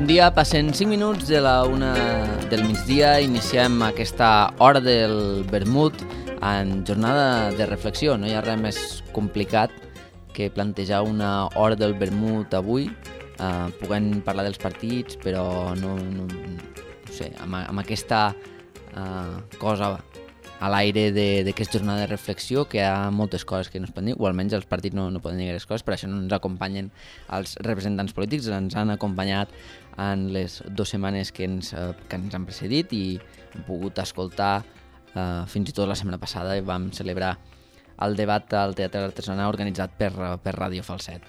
dia, passen 5 minuts de la 1 del migdia, iniciem aquesta hora del vermut en jornada de reflexió. No hi ha res més complicat que plantejar una hora del vermut avui, puguem parlar dels partits, però no sé, amb aquesta cosa a l'aire d'aquesta jornada de reflexió, que hi ha moltes coses que no es poden dir, o almenys els partits no poden dir aquestes coses, per això no ens acompanyen els representants polítics, ens han acompanyat en les 2 setmanes que ens han precedit i hem pogut escoltar fins i tot la setmana passada vam celebrar el debat al Teatre Artesanà organitzat per Ràdio Falset.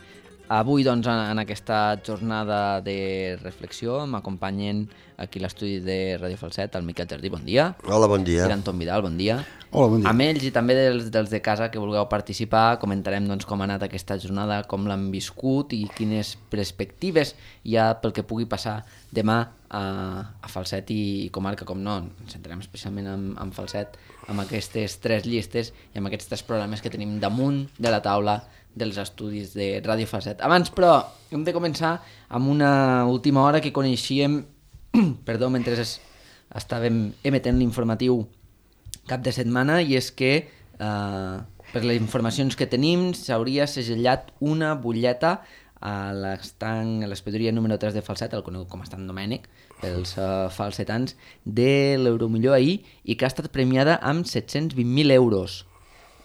Avui, doncs, en aquesta jornada de reflexió m'acompanyen aquí a l'estudi de Ràdio Falset el Miquel Jardí, bon dia. Hola, bon dia. I l'Anton Vidal, bon dia. Hola, bon dia. Amb ells i també dels de casa que vulgueu participar, comentarem doncs, com ha anat aquesta jornada, com l'han viscut i quines perspectives hi ha pel que pugui passar demà a Falset i comarca, com no. Ens centrarem especialment en Falset, amb aquestes 3 llistes i amb aquests 3 programes que tenim damunt de la taula dels estudis de Ràdio Falset. Abans, però, hem de començar amb una última hora que coneixíem, mentre estàvem emetent l'informatiu cap de setmana, i és que, per les informacions que tenim, s'hauria segellat una butlleta a l'espedoria número 3 de Falset, el conegut com a Estant Domènec, pels falsetans, de l'Euromillor ahir, i que ha estat premiada amb 720.000 euros.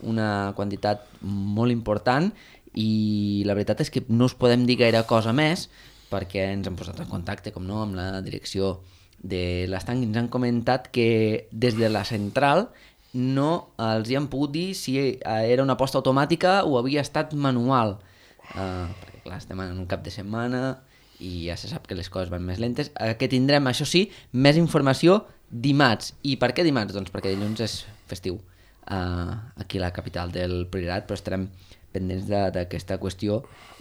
Una quantitat molt important, i la veritat és que no us podem dir gaire cosa més perquè ens hem posat en contacte, com no, amb la direcció de l'estanc i ens han comentat que des de la central no els hi han pogut dir si era una aposta automàtica o havia estat manual, perquè clar, estem en un cap de setmana i ja se sap que les coses van més lentes, que tindrem, això sí, més informació dimarts. I per què dimarts? Doncs perquè dilluns és festiu aquí a la capital del Priorat, però estarem pendents d'aquesta qüestió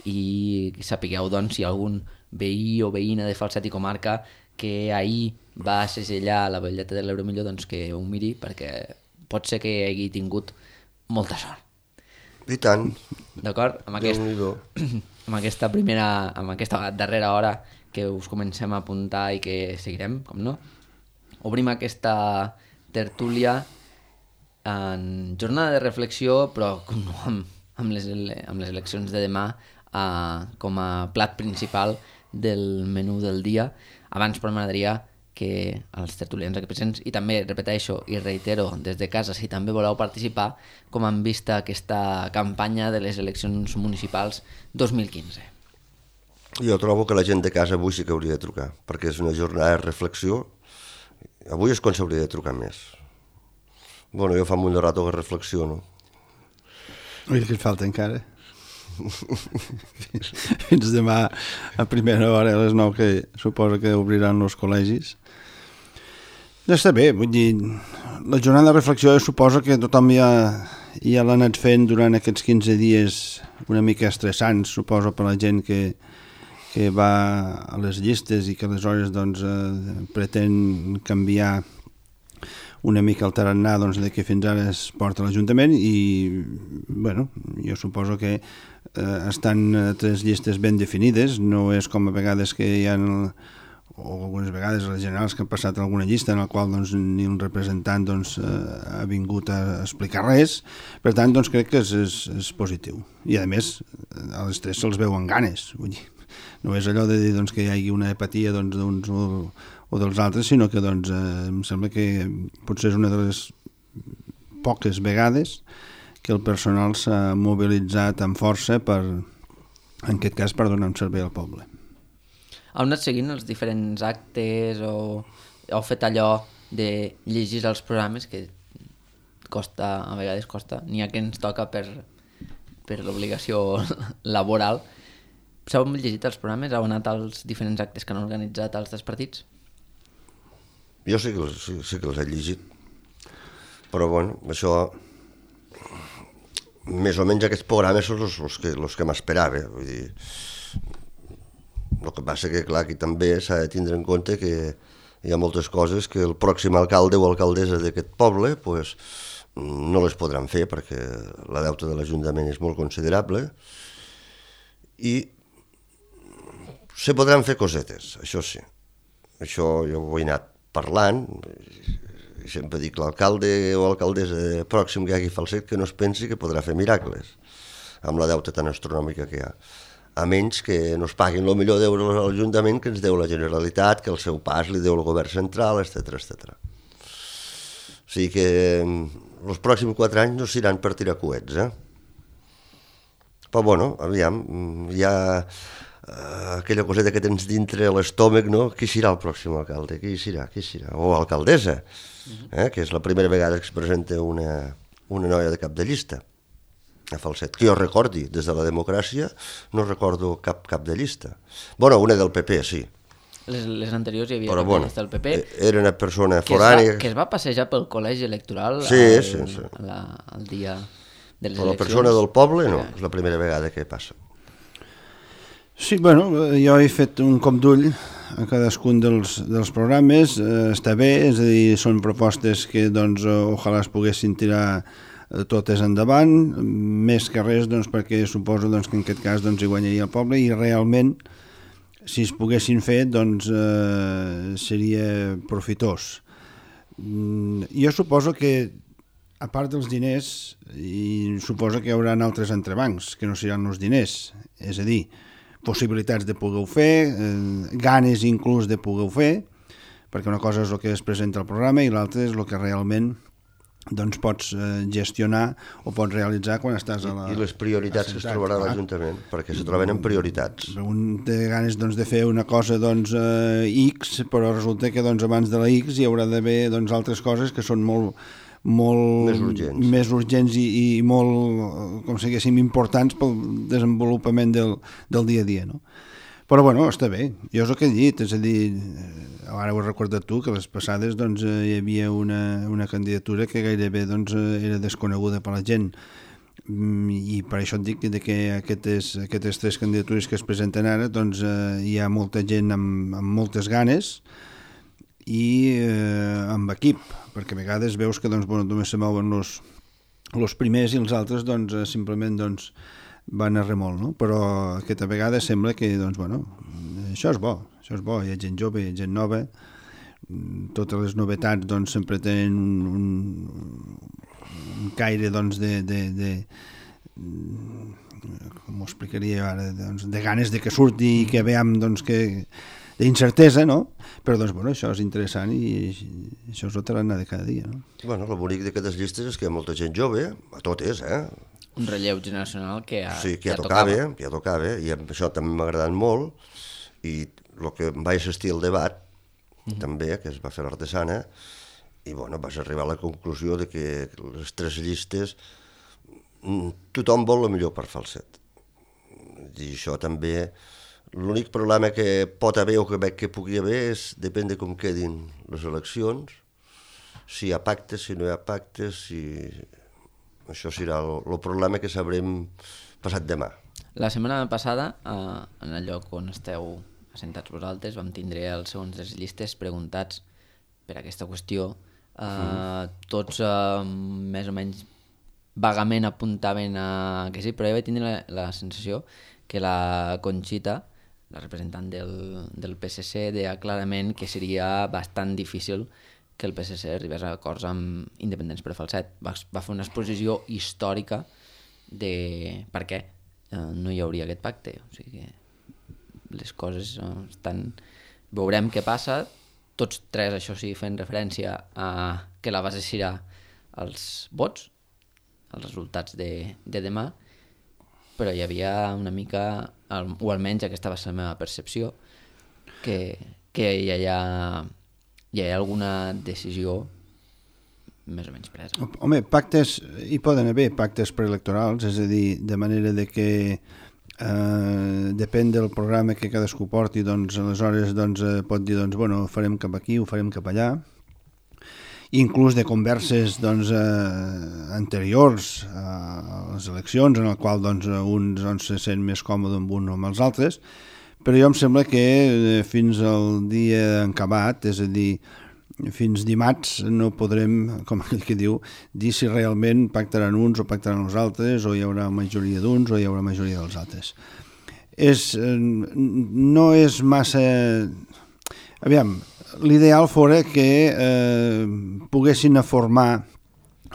i sapigueu doncs, si algun veí o veïna de Falset i comarca que ahir va segellar la butlleta de l'Euromillor, doncs que ho miri, perquè pot ser que hagi tingut molta sort. I tant. D'acord? Amb aquesta darrera hora que us comencem a apuntar i que seguirem, com no, obrim aquesta tertúlia en jornada de reflexió, però amb les eleccions de demà com a plat principal del menú del dia. Abans, però, m'agradaria que els tertulians aquí presents, i també repeteixo i reitero des de casa, si també voleu participar, com han vist aquesta campanya de les eleccions municipals 2015. Jo trobo que la gent de casa avui sí que hauria de trucar, perquè és una jornada de reflexió. Avui és quan s'hauria de trucar més. Bueno, jo fa un rato que reflexiono. Ui, que et falta encara. Fins demà a primera hora, a les 9, que suposa que obriran els col·legis. Ja està bé, vull dir, la jornada de reflexió suposa que tothom ja l'ha anat fent durant aquests 15 dies una mica estressants, suposo, per la gent que va a les llistes i que aleshores doncs, pretén canviar una mica el tarannà doncs, de que fins ara es porta a l'Ajuntament i, bueno, jo suposo que estan 3 llistes ben definides, no és com a vegades que hi ha, o algunes vegades a les generals que han passat alguna llista en la qual doncs, ni un representant doncs, ha vingut a explicar res, per tant doncs, crec que és positiu. I a més, a les 3 se'ls veuen ganes, vull dir, no és allò de dir doncs, que hi hagi una apatia doncs, d'uns o dels altres, sinó que doncs, em sembla que potser és una de les poques vegades que el personal s'ha mobilitzat amb força en aquest cas per donar un servei al poble. Heu anat seguint els diferents actes o heu fet allò de llegir els programes que costa, a vegades costa, n'hi ha que ens toca per l'obligació laboral. S'heu llegit els programes? Heu anat als diferents actes que han organitzat els 3 partits? Jo sí que els he llegit, però bueno, això, més o menys aquests programes són els que m'esperava, vull dir, el que passa que clar, aquí també s'ha de tindre en compte que hi ha moltes coses que el pròxim alcalde o alcaldessa d'aquest poble pues, no les podran fer perquè la deuta de l'Ajuntament és molt considerable i Se podran fer cosetes, això sí. Això jo ho he anat parlant, i sempre dic l'alcalde o alcaldessa pròxim que hi hagi Falset que no es pensi que podrà fer miracles amb la deuta tan astronòmica que hi ha. A menys que no es paguin el millor d'euros a l'Ajuntament que ens deu la Generalitat, que el seu pas li deu el govern central, etc. O sigui que els pròxims 4 anys no seran per tirar coets, Però bueno, aviam, hi ha aquella coseta que tens dintre l'estómac, no? Qui serà el pròxim alcalde? Qui serà? O alcaldessa, que és la primera vegada que es presenta una noia de cap de llista a Falset. Que jo recordi, des de la democràcia, no recordo cap de llista. Bueno, una del PP, sí. Les anteriors hi havia Però, cap de llista del PP. Era una persona forània. Que es va passejar pel col·legi electoral el dia de les eleccions. Però la eleccions. persona del poble no, és la primera vegada que passa. Sí, bueno, jo he fet un cop d'ull a cadascun dels programes, està bé, és a dir, són propostes que, doncs, ojalà es poguessin tirar totes endavant, més que res, doncs, perquè suposo doncs, que en aquest cas doncs, hi guanyaria el poble i realment, si es poguessin fer, doncs, seria profitós. Jo suposo que, a part dels diners, i suposo que hi haurà altres entrebancs, que no seran els diners, és a dir, possibilitats de poder-ho fer, ganes inclús de poder-ho fer, perquè una cosa és el que es presenta al programa i l'altra és el que realment doncs, pots gestionar o pots realitzar quan estàs a la... I les prioritats que es trobarà a l'Ajuntament, perquè se troben en prioritats. Un té ganes doncs, de fer una cosa doncs, X, però resulta que doncs, abans de la X hi haurà d'haver doncs, altres coses que són molt més urgents i molt, com si diguéssim, importants pel desenvolupament del dia a dia, no? Però, bueno, està bé. Jo és el que he dit, és a dir, ara ho he recordat tu, que les passades doncs, hi havia una candidatura que gairebé doncs, era desconeguda per la gent, i per això et dic que aquestes 3 candidatures que es presenten ara doncs, hi ha molta gent amb moltes ganes i amb equip, perquè a vegades veus que doncs, bueno, només se mouen els primers i els altres doncs, simplement doncs, van a remol, no? Però aquesta vegada sembla que doncs, bueno, això és bo, hi ha gent jove, hi ha gent nova, totes les novetats doncs, sempre tenen un caire doncs, com ho explicaria ara, doncs, de ganes de que surti i que veiem doncs, d'incertesa, no? Però doncs, bueno, això és interessant i això és el tarannà de cada dia, no? Bueno, el bonic d'aquestes llistes és que hi ha molta gent jove, a totes, un relleu generacional que ja tocava, i això també m'ha agradat molt, i el que vaig assistir al debat, també, que es va fer l'Artesana, i bueno, vas arribar a la conclusió de que les 3 llistes tothom vol el millor per Falset. I això també, l'únic problema que pot haver o que veig que pugui haver és, depèn de com quedin les eleccions, si hi ha pactes, si no hi ha pactes, això serà el problema que sabrem passat demà. La setmana passada, en el lloc on esteu assentats vosaltres, vam tindre els segons les llistes preguntats per aquesta qüestió. Tots més o menys vagament apuntaven que sí, però jo vaig tindre la sensació que la Conxita, la representant del PSC, deia clarament que seria bastant difícil que el PSC arribés a acords amb independents per Falset. Va fer una exposició històrica de per què no hi hauria aquest pacte. O sigui que les coses estan... Veurem què passa. Tots 3, això sí, fent referència a que la base serà els vots, els resultats de demà, però hi havia una mica, o almenys aquesta va ser la meva percepció, que hi ha alguna decisió més o menys presa. Home, pactes, hi poden haver pactes preelectorals, és a dir, de manera de que depèn del programa que cadascú porti, doncs aleshores doncs, pot dir, doncs, bueno, ho farem cap aquí, ho farem cap allà, inclús de converses doncs, anteriors a les eleccions, en el qual doncs, uns doncs, se sent més còmode amb un o amb els altres, però jo em sembla que fins al dia encabat, és a dir, fins dimarts no podrem, com aquell que diu, dir si realment pactaran uns o pactaran els altres, o hi haurà majoria d'uns o hi haurà majoria dels altres. no és massa... Aviam, l'ideal fora que poguessin a formar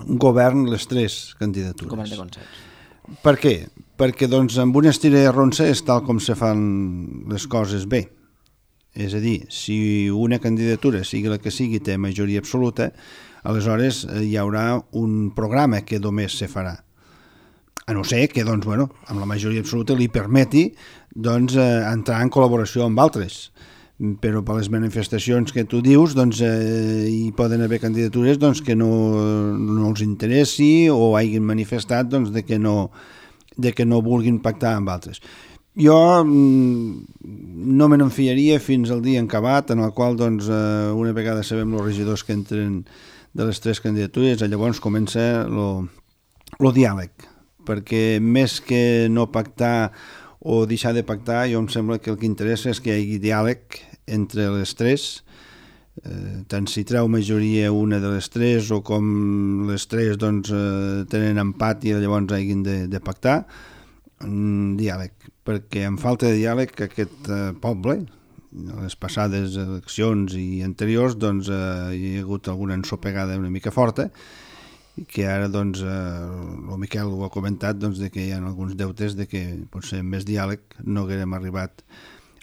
un govern les tres candidatures. Govern de consens. Per què? Perquè doncs, amb una estira i arronsa és tal com se fan les coses bé. És a dir, si una candidatura, sigui la que sigui, té majoria absoluta, aleshores hi haurà un programa que només se farà. A no ser que, doncs, bueno, amb la majoria absoluta li permeti doncs, entrar en col·laboració amb altres. Però per les manifestacions que tu dius doncs, hi poden haver candidatures doncs, que no els interessi o hagin manifestat doncs, de que no vulguin pactar amb altres. Jo no me n'enfiaria fins al dia encabat en el qual doncs, una vegada sabem els regidors que entren de les tres candidatures, llavors comença el diàleg, perquè més que no pactar o deixar de pactar, jo em sembla que el que interessa és que hi hagi diàleg entre les tres, tant si treu majoria una de les tres o com les tres doncs, tenen empat i llavors hagin de pactar, diàleg, perquè en falta de diàleg aquest poble, a les passades eleccions i anteriors doncs, hi ha hagut alguna ensopegada una mica forta, que ara doncs, el Miquel ho ha comentat doncs, de que hi ha alguns deutes de que potser amb més diàleg no haguérem arribat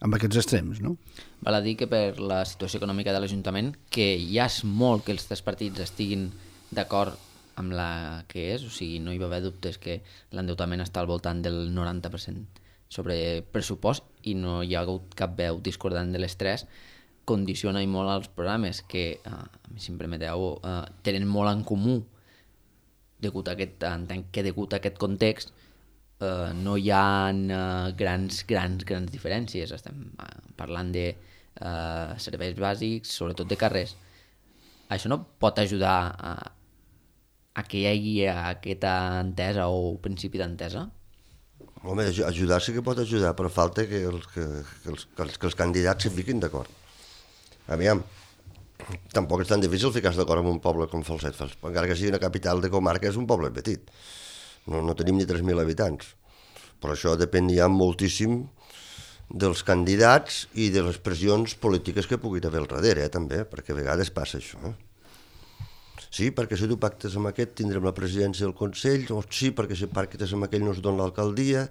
amb aquests extrems, no? Val a dir que per la situació econòmica de l'Ajuntament, que ja és molt que els tres partits estiguin d'acord amb la que és, o sigui, no hi va haver dubtes que l'endeutament està al voltant del 90% sobre pressupost i no hi ha hagut cap veu discordant de les tres, condiciona i molt els programes que, si em permeteu, tenen molt en comú degut a aquest context. No hi ha grans diferències. Estem parlant de serveis bàsics, sobretot de carrers. Això no pot ajudar a que hi hagi aquesta entesa o principi d'entesa? Home, ajudar sí que pot ajudar, però falta que els candidats s'hi fiquin d'acord. Aviam, tampoc és tan difícil ficar-se d'acord amb un poble com Falset, encara que sigui una capital de comarca, és un poble petit. No tenim ni 3.000 habitants, però això depèn ja moltíssim dels candidats i de les pressions polítiques que pugui haver al darrere, també, perquè a vegades passa això. Sí, perquè si tu pactes amb aquest tindrem la presidència del Consell, o sí, perquè si pactes amb aquell no es dona l'alcaldia.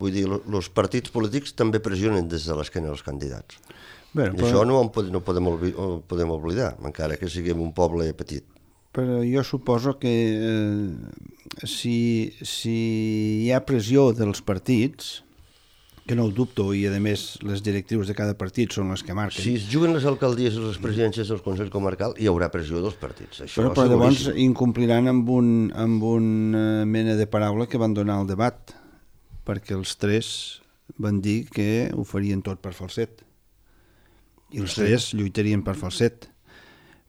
Vull dir, els partits polítics també pressionen des de l'esquena dels candidats. Bé, però... Això no podem oblidar, encara que siguem un poble petit. Però jo suposo que si hi ha pressió dels partits, que no ho dubto, i a més les directrius de cada partit són les que marquen. Si es juguen les alcaldies i les presidències dels Consells Comarcals, hi haurà pressió dels partits. Però llavors incompliran amb una mena de paraula que van donar al debat, perquè els tres van dir que ho farien tot per Falset. I els tres lluitarien per Falset.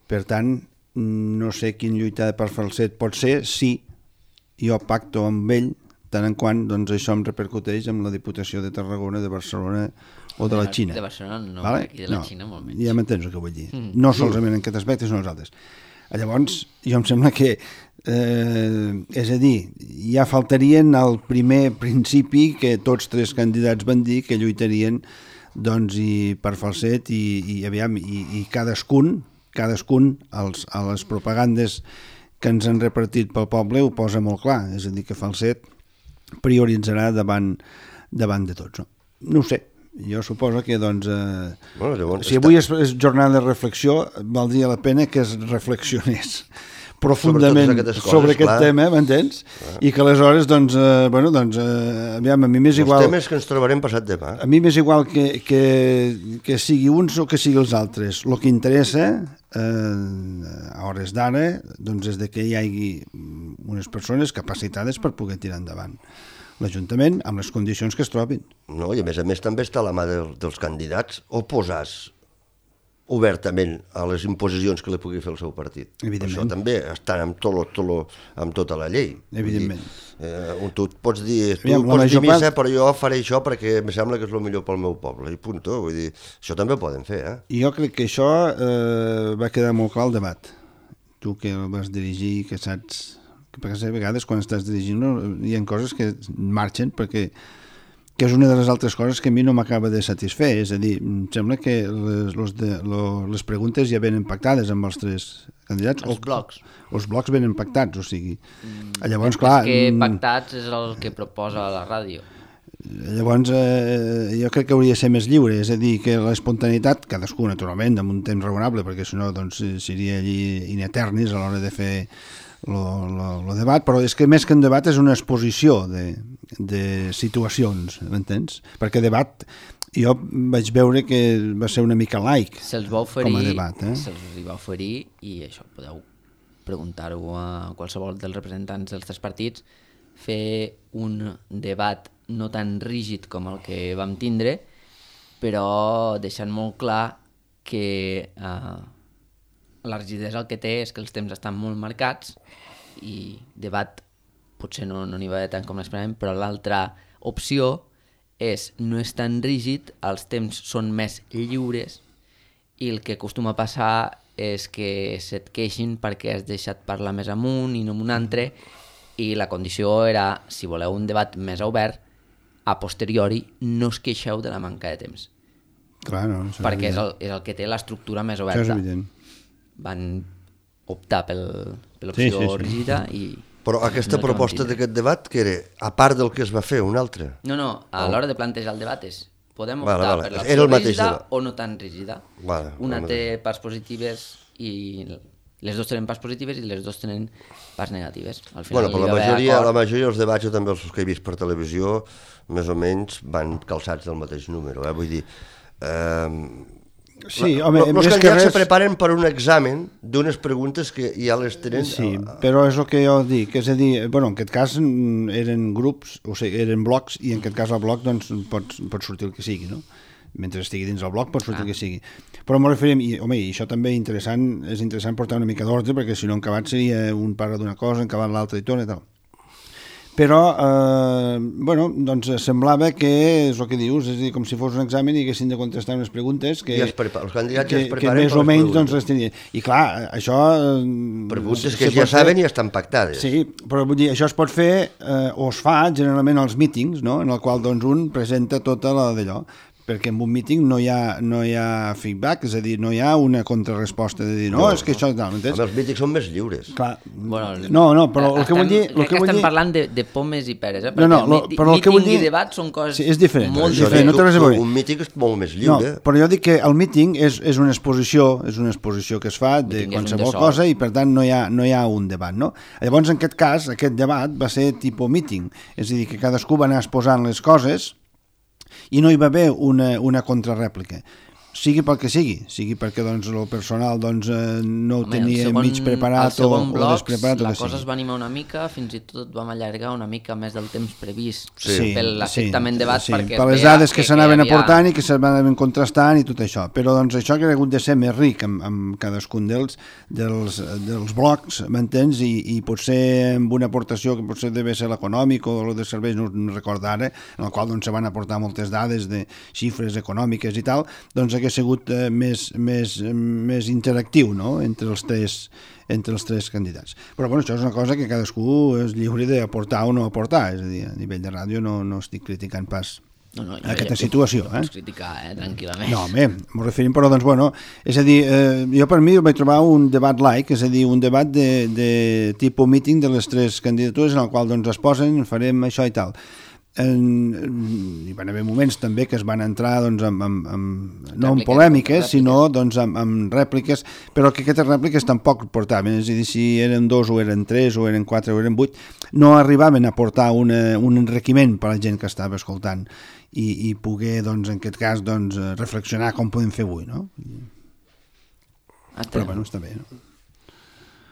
Per tant, no sé quin lluitar per Falset pot ser si jo pacto amb ell tant en quant doncs, això em repercuteix amb la Diputació de Tarragona, de Barcelona o de la Xina. De Barcelona no, vale? I de la Xina molt menys. Ja m'entens el que vull dir. No solament en aquest aspecte, sinó els altres. Llavors, jo em sembla que, és a dir, ja faltarien al primer principi que tots tres candidats van dir que lluitarien doncs, i per Falset i cadascun a les propagandes que ens han repartit pel poble ho posa molt clar, és a dir, que Falset prioritzarà davant de tots. No ho sé, jo suposo que doncs, si avui és jornada de reflexió, valdria la pena que es reflexionés profundament sobre aquest tema, m'entens? I que aleshores, aviam, a mi m'és igual... Els temes que ens trobarem passat demà. A mi m'és igual que sigui uns o que sigui els altres. El que interessa, a hores d'ara, és que hi hagi unes persones capacitades per poder tirar endavant l'Ajuntament amb les condicions que es trobin. No, i a més també està a la mà dels candidats oposats obertament a les imposicions que li pugui fer el seu partit. Això també està amb tota la llei. Evidentment. Tu pots dir, missa, però jo faré això perquè em sembla que és el millor pel meu poble, i punt. Vull dir, això també ho poden fer. Jo crec que això va quedar molt clar al debat. Tu que el vas dirigir, que saps... Perquè a vegades quan estàs dirigint hi ha coses que marxen perquè que és una de les altres coses que a mi no m'acaba de satisfer, és a dir, em sembla que les preguntes ja venen pactades amb els tres candidats. Els blocs. Els blocs venen pactats, o sigui... Llavors, clar... És que pactats és el que proposa la ràdio. Llavors, jo crec que hauria de ser més lliure, és a dir, que l'espontaneïtat, cadascú, naturalment, amb un temps raonable, perquè si no, doncs, seria allí in eternis a l'hora de fer el debat, però és que més que un debat és una exposició de situacions, m'entens? Perquè debat, jo vaig veure que va ser una mica laic com a debat. Se'ls va oferir, i això podeu preguntar-ho a qualsevol dels representants dels tres partits, fer un debat no tan rígid com el que vam tindre, però deixant molt clar que la rigidesa el que té és que els temps estan molt marcats i debat potser no n'hi va haver tant com l'esperàvem, però l'altra opció és no és tan rígid, els temps són més lliures i el que acostuma a passar és que se't queixin perquè has deixat parlar més amunt i no amb un altre, i la condició era, si voleu un debat més obert, a posteriori no us queixeu de la manca de temps. Clar, no, perquè és el que té l'estructura més oberta. Això és evident. Van optar per l'opció rígida i... Però aquesta proposta d'aquest debat, que era, a part del que es va fer, un altre? No, a l'hora de plantejar el debat és podem optar per l'opció rígida o no tan rígida. Una té parts positives i les dues tenen parts positives i les dues tenen parts negatives. Al final, però la majoria dels debats, jo també els que he vist per televisió, més o menys van calçats del mateix número. Vull dir, sí, home, els candidats se preparen per un examen d'unes preguntes que ja les tenen... Sí, però és el que jo dic, és a dir, en aquest cas eren grups, o sigui, eren blocs, i en aquest cas el bloc doncs, pot sortir el que sigui, no? Mentre estigui dins el bloc pot sortir el que sigui. Però m'ho referim, i això també és interessant portar una mica d'ordre, perquè si no encabat seria un parla d'una cosa, encabat l'altra i tot i tal. Però, doncs semblava que és el que dius, és a dir, com si fos un examen i haguessin de contestar unes preguntes que, els candidats ja es preparen més o menys doncs, les tenien. I clar, això... Preguntes que ja saben i estan pactades. Sí, però vull dir, això es pot fer, o es fa generalment als mítings, no?, en el qual doncs, un presenta tota la d'allò, perquè en un míting no hi ha feedback, és a dir, no hi ha una contrarresposta de dir, no, és que això... Els mítings són més lliures. Clar, no, però el que vull dir... Crec que estem parlant de pomes i peres, perquè míting i debat són coses és diferent, molt diferents. Un míting és molt més lliure. No, però jo dic que el míting és una exposició que es fa de qualsevol cosa i per tant no hi ha un debat, no? Llavors, en aquest cas, aquest debat va ser tipus míting, és a dir, que cadascú va anar exposant les coses i no hi va haver una contrarèplica. Sigui pel que sigui perquè doncs, el personal doncs, no ho tenia mig preparat o despreparat. La cosa es va animar una mica, fins i tot vam allargar una mica més del temps previst per l'afectament debat. Per les dades que s'anaven aportant i que s'anaven contrastant i tot això. Però doncs, això que ha hagut de ser més ric amb cadascun dels blocs, m'entens? I potser amb una aportació que potser deve ser l'econòmic o el de serveis, no recordo ara, en el qual doncs, se van aportar moltes dades de xifres econòmiques i tal, doncs hagués sigut més interactiu, no?, entre els tres candidats. Però bueno, això és una cosa que cadascú és lliure d'aportar o no aportar, és a dir, a nivell de ràdio no estic criticant pas aquesta situació. Pots criticar, tranquil·lament. No, home, m'ho referim, però doncs, bueno, és a dir, jo per mi vaig trobar un debat laic, és a dir, un debat de tipus meeting de les tres candidatures en el qual doncs es posen, farem això i tal. Hi van haver moments també que es van entrar doncs, no en polèmiques sinó doncs, amb rèpliques, però que aquestes rèpliques tampoc portaven, és a dir, si eren 2 o eren 3 o eren 4 o eren 8 no arribaven a portar un enriquiment per a la gent que estava escoltant i poder, doncs, en aquest cas doncs, reflexionar com podem fer avui, no? Però bueno, està bé, no?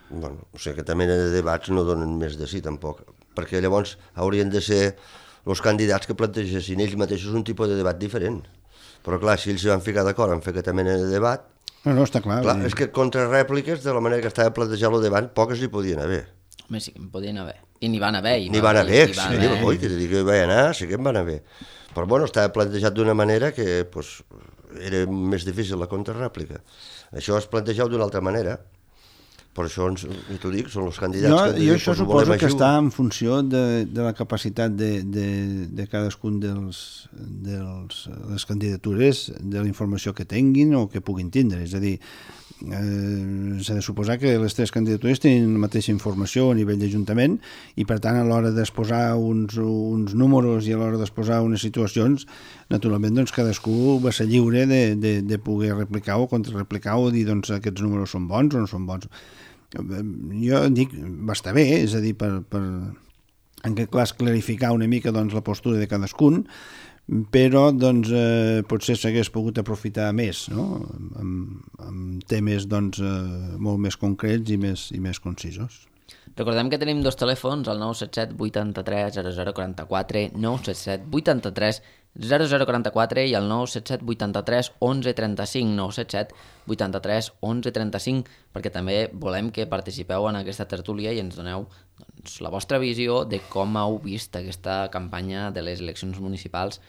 Bueno, o sigui, aquesta mena de debats no donen més de sí tampoc, perquè llavors haurien de ser els candidats que plantegessin ells mateixos un tipus de debat diferent. Però clar, si ells s'hi van ficar d'acord en fer aquesta mena de debat... No, està clar. És que contrarèpliques, de la manera que estava plantejat el debat, poques hi podien haver. Home, sí que en podien haver. I n'hi van haver. N'hi van haver, que te dic que hi va anar, sí que en van haver. Però bueno, estava plantejat d'una manera que pues, era més difícil la contrarèplica. Això es plantejava d'una altra manera. Per això, t'ho dic, són els candidats que... Jo això suposo que està en funció de la capacitat de cadascun de les candidatures, de la informació que tinguin o que puguin tindre. És a dir, s'ha de suposar que les tres candidatures tenen la mateixa informació a nivell d'Ajuntament i, per tant, a l'hora d'exposar uns números i a l'hora d'exposar unes situacions, naturalment, doncs, cadascú va ser lliure de poder replicar o contrarreplicar o dir, doncs, aquests números són bons o no són bons. Jo dic, va estar bé, és a dir, per en aquest cas clarificar una mica doncs, la postura de cadascun, però doncs, potser s'hagués pogut aprofitar més, no? amb temes doncs, molt més concrets i més concisos. Recordem que tenim dos telèfons, el 977 83 0044, 977 83 0044 i el 977 83 11 35, 977 83 11 35, perquè també volem que participeu en aquesta tertúlia i ens doneu doncs, la vostra visió de com heu vist aquesta campanya de les eleccions municipals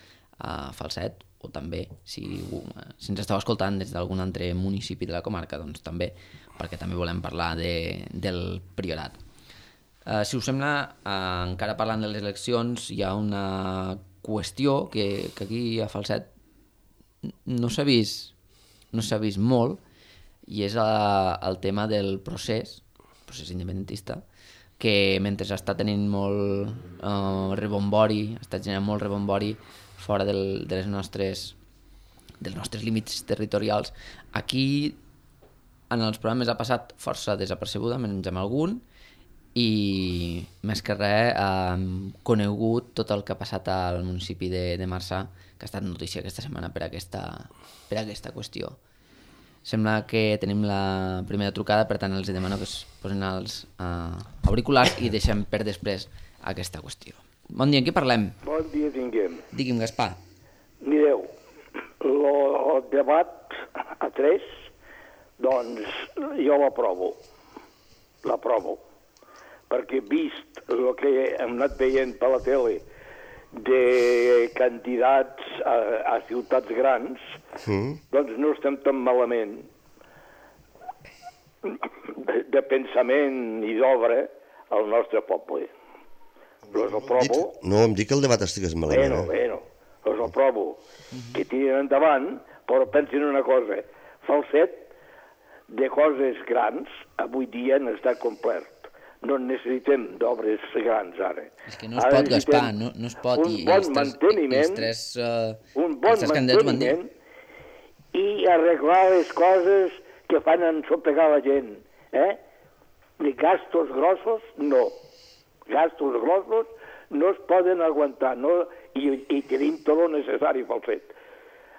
a Falset, o també si ens esteu escoltant des d'algun altre municipi de la comarca, doncs també, perquè també volem parlar del Priorat. Si us sembla, encara parlant de les eleccions, hi ha una qüestió que aquí a Falset no s'ha vist molt, i és el tema del procés independentista, que mentre està tenint molt rebombori, està generant molt rebombori fora dels nostres límits territorials, aquí en els programes ha passat força desapercebuda, menys amb algun, i més que res hem conegut tot el que ha passat al municipi de Marçà, que ha estat notícia aquesta setmana per aquesta qüestió. Sembla que tenim la primera trucada, per tant els demano que es posin els auriculars i deixem per després aquesta qüestió. Bon dia, en què parlem? Bon dia tinguem. Digui'm, Gaspar. Mireu, el debat a 3, doncs jo l'aprovo, perquè vist el que hem anat veient per la tele de candidats a ciutats grans, doncs no estem tan malament de pensament i d'obra al nostre poble. Los aprovo. No em dic que el debat estigués malament. Bueno, los aprovo. Que tiren endavant, però pensin una cosa. Falset, de coses grans, avui dia n'està complet. No necessitem d'obres grans ara. És que no es pot, Gaspar, no es pot. Un bon manteniment i arreglar les coses que fan ensopegar la gent. Ni gastos grossos, no. Gastos grossos no es poden aguantar, no? I tenim tot el necessari pel fet.